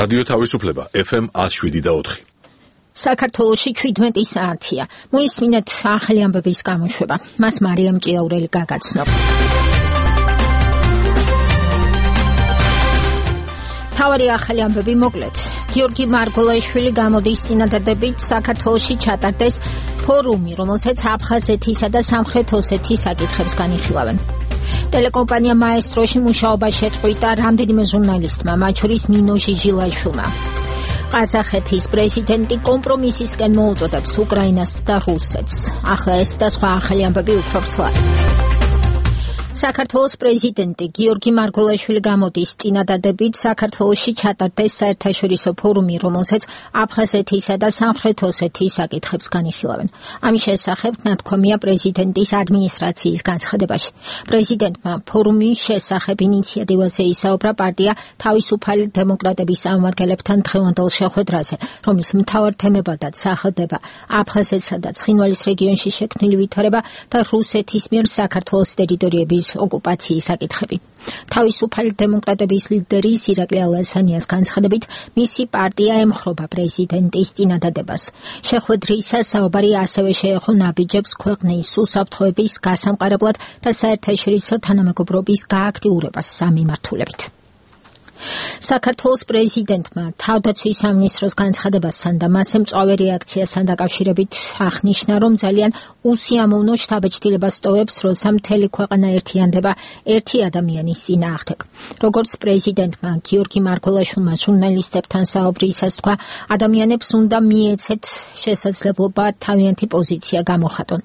რადიო თავისუფლება FM 107.4. საქართველოში 17 საათია. მოისმინეთ ახალი ამბების გამოშვება. მას მარიამ ჭიაურელი გაგაცნობთ. თავარი ახალი ამბები მოკლედ. გიორგი მარგოლაიშვილი გამოდის წინადადებით საქართველოში ჩატარდეს ფორუმი, რომელსაც აფხაზეთისა და სამხრეთ ოსეთის საკითხებს განიხილავენ. ტელეკომპანია მაესტროში მუშაობა შეწყვიტა რამდენიმე ჟურნალისტმა, მათ შორის ნინო ჟიჟილაშვილმა. ყაზახეთის პრეზიდენტი კომპრომისისკენ მოუწოდებს უკრაინას და რუსეთს. ახლა ეს და სხვა ახალი ამბები უფრო ვრცლად. საქართველოს პრეზიდენტი გიორგი მარგოლაიშვილი გამოდის წინადადებით საქართველოში ჩატარდეს საერთაშორისო ფორუმი, რომელსაც აფხაზეთისა და სამხრეთ ოსეთის საკითხებს განიხილავენ. ამის შესახებ ნათქვამია პრეზიდენტის ადმინისტრაციის განცხადებაში. პრეზიდენტმა ფორუმის შესახებ ინიციატივაზე ისაუბრა პარტია თავისუფალი დემოკრატების წარმომადგენლებთან დღევანდელ შეხვედრაზე, რომლის მთავარ თემებადაც სახელდება აფხაზეთსა და ცხინვალის რეგიონში შექმნილი ვითარება და რუსეთის მიერ საქართველოს ტერიტორიების ოკუპაციის საკითხები. თავისუფალი დემოკრატების ლიდერი ირაკლი ალასანიას განცხადებით, მისი პარტია ემხრობა პრეზიდენტის წინადადებას. შეხვედრისას საუბარი ასევე შეეხო ნაბიჯებს ქვეყნის უსაფრთხოების გასამყარებლად და საერთაშორისო თანამეგობრობის გააქტიურებას ამ მიმართულებით. საქართველოს პრეზიდენტმა თავდაცვის სამინისტროს განცხადებასთან და მასზე მწვავე რეაქციასთან დაკავშირებით აღნიშნა, რომ ძალიან უსიამოვნო შთაბეჭდილებას ტოვებს, როცა მთელი ქვეყანა ერთიანდება ერთი ადამიანის წინააღმდეგ. როგორც პრეზიდენტმა გიორგი მარგოლაიშვილმა ჟურნალისტებთან საუბრისას თქვა, ადამიანებს უნდა მიეცეთ შესაძლებლობა თავიანთი პოზიცია გამოხატონ.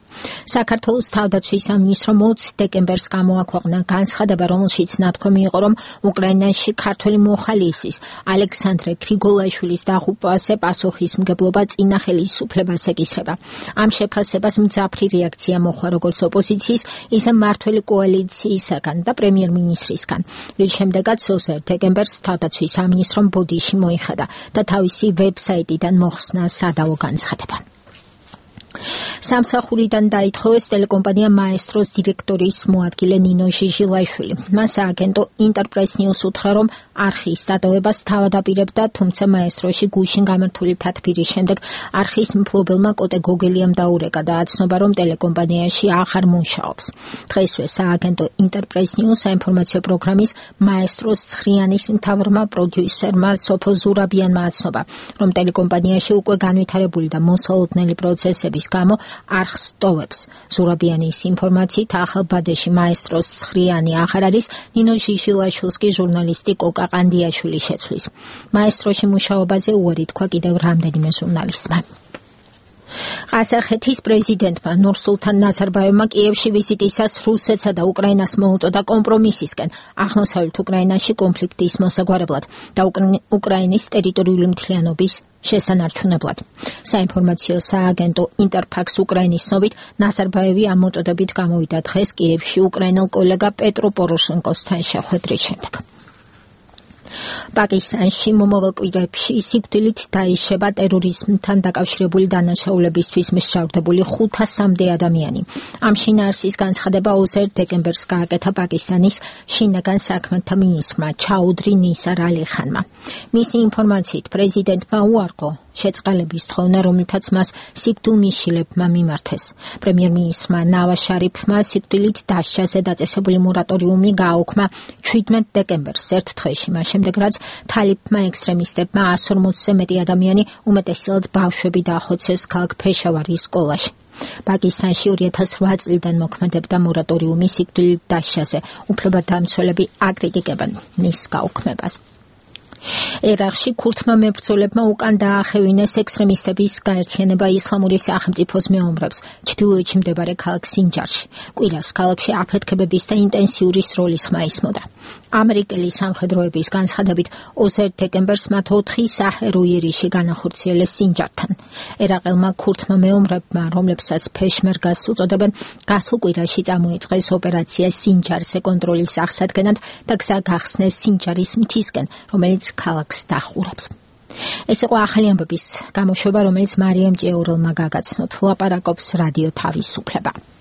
საქართველოს თავდაცვის სამინისტრო 20 დეკემბერს გამოაქვეყნა განცხადება, რომელშიც ნათქვამი იყო, რომ უკრაინაში ქართველი მოხალისის ალექსანდრე გრიგოლაიშვილის დაღუპვაზე პასუხისმგებლობა წინა ხელისუფლებას ეკისრება. ამ შეფასებას მძაფრი რეაქცია მოჰყვა როგორც ოპოზიციის, ისე მმართველი კოალიციისაგან და პრემიერ-მინისტრისგან. რის შემდეგაც 20 დეკემბერს თავდაცვის სამინისტრომ ბოდიში მოიხადა და თავისი ვებსაიტიდან მოხსნა სადავო განცხადება. სამსახურიდან დაითხოვეს ტელეკომპანია მაესტროს დირექტორის მოადგილე ნინო ჟიჟილაიშვილი. მას სააგენტო ინტერპრეს ნიუს უთხრა, რომ არხის დატოვებას თავად აპირებდა, თუმცა მაესტროში გუშინ გამართული თათბირის შემდეგ არხის მფლობელმა კოტე გოგელიამ დაურეკა და აცნობა, რომ ტელეკომპანიაში აღარ მუშაობს. დღესვე სააგენტო ინტერპრეს ნიუს საინფორმაციო პროგრამის მაესტროს ცხრიანის მთავრმა პროდიუსერმა სოფო ზურაბიანმა აცნობა, რომ ტელეკომპანიაში უკვე განვითარებული და მოსალოდნელი პროცესების გამო არხს ტოვებს. ზურაბიანის ინფორმაციით ახალბადეში მაესტროს ცხრიანი აღარ არის, ნინო ჟიჟილაშვილს კი ჟურნალისტი კოკა ყანდიაშვილი შეცვლის. მაესტროში მუშაობაზე უარი თქვა კიდევ რამდენიმე ჟურნალისტმა. ყაზახეთის პრეზიდენტმა ნურსულთან ნაზარბაევმა კიევში ვიზიტისას რუსეთსა და უკრაინას მოუწოდა კომპრომისისკენ აღმოსავლეთ უკრაინაში კონფლიქტის მოსაგვარებლად და უკრაინის ტერიტორიული მთლიანობის შესანარჩუნებლად. საინფორმაციო სააგენტო ინტერფაქს უკრაინის ცნობით, ნაზარბაევი ამ მოწოდებით გამოვიდა დღეს კიევში უკრაინელ კოლეგა პეტრო პოროშენკოსთან შეხვედრის შემდეგ. პაკისტანში მომავალ კვირებში სიკვდილით დაიშება ტერორიზმთან დაკავშირებული დანაშაულებისთვის მსჯავრდებული 500-მდე ადამიანი. ამ შინაარსის განცხადება 20 დეკემბერს გააკეთა პაკისტანის შინაგან საქმეთა მინისტრმა ჩაუდრი ნისარ ალი ხანმა. მისი ინფორმაციით პრეზიდენტმა უარყო შეწყალების თხოვნა, რომლითაც მას სიკვდილმისშილებმა მიმართეს. პრემიერ-მინისტრმა ნავაზ შარიფმა სიკვდილით დასჯაზე დაწესებული მორატორიუმი გააუქმა 17 დეკემბერს ერთ დღეში, მას შემდეგ რაც თალიბმა ექსტრემისტებმა 140-ზე მეტი ადამიანი, უმეტესად ბავშვები დაახოცეს ქალაქ ფეშავარის სკოლაში. პაკისტანში 2008 წლიდან მოქმედებდა მორატორიუმი სიკვდილით დასჯაზე. უფლებადამცველები აკრიტიკებენ მის გაუქმებას. ერაყში ქურთმა მებრძოლებმა უკან დაახევინეს ექსტრემისტების გაერთიანება ისლამური სახელმწიფოს მეომრებს ჩრდილოეთში მდებარე ქალაქ სინჯარში. კვირას ქალაქში აფეთქებების და ინტენსიური სროლის ხმა ისმოდა. ამერიკელი სამხედროების განცხადებით 20 დეკემბერს მათ 4 საჰერო იერიში განახორციელეს სინჯართან. ერაყელმა ქურთმა მეომრებმა, რომლებსაც ფეშმერგას უწოდებენ, გასულ კვირაში წამოიწყეს ოპერაცია სინჯარზე კონტროლის აღსადგენად და გზა გახსნეს სინჯარის მთისკენ, რომელიც ქალაქს დახურებს. ეს იყო ახალი ამბების გამოშვება, რომელიც მარიამ ჭიაურელმა გაგაცნოთ. ლაპარაკობს რადიო თავისუფლება.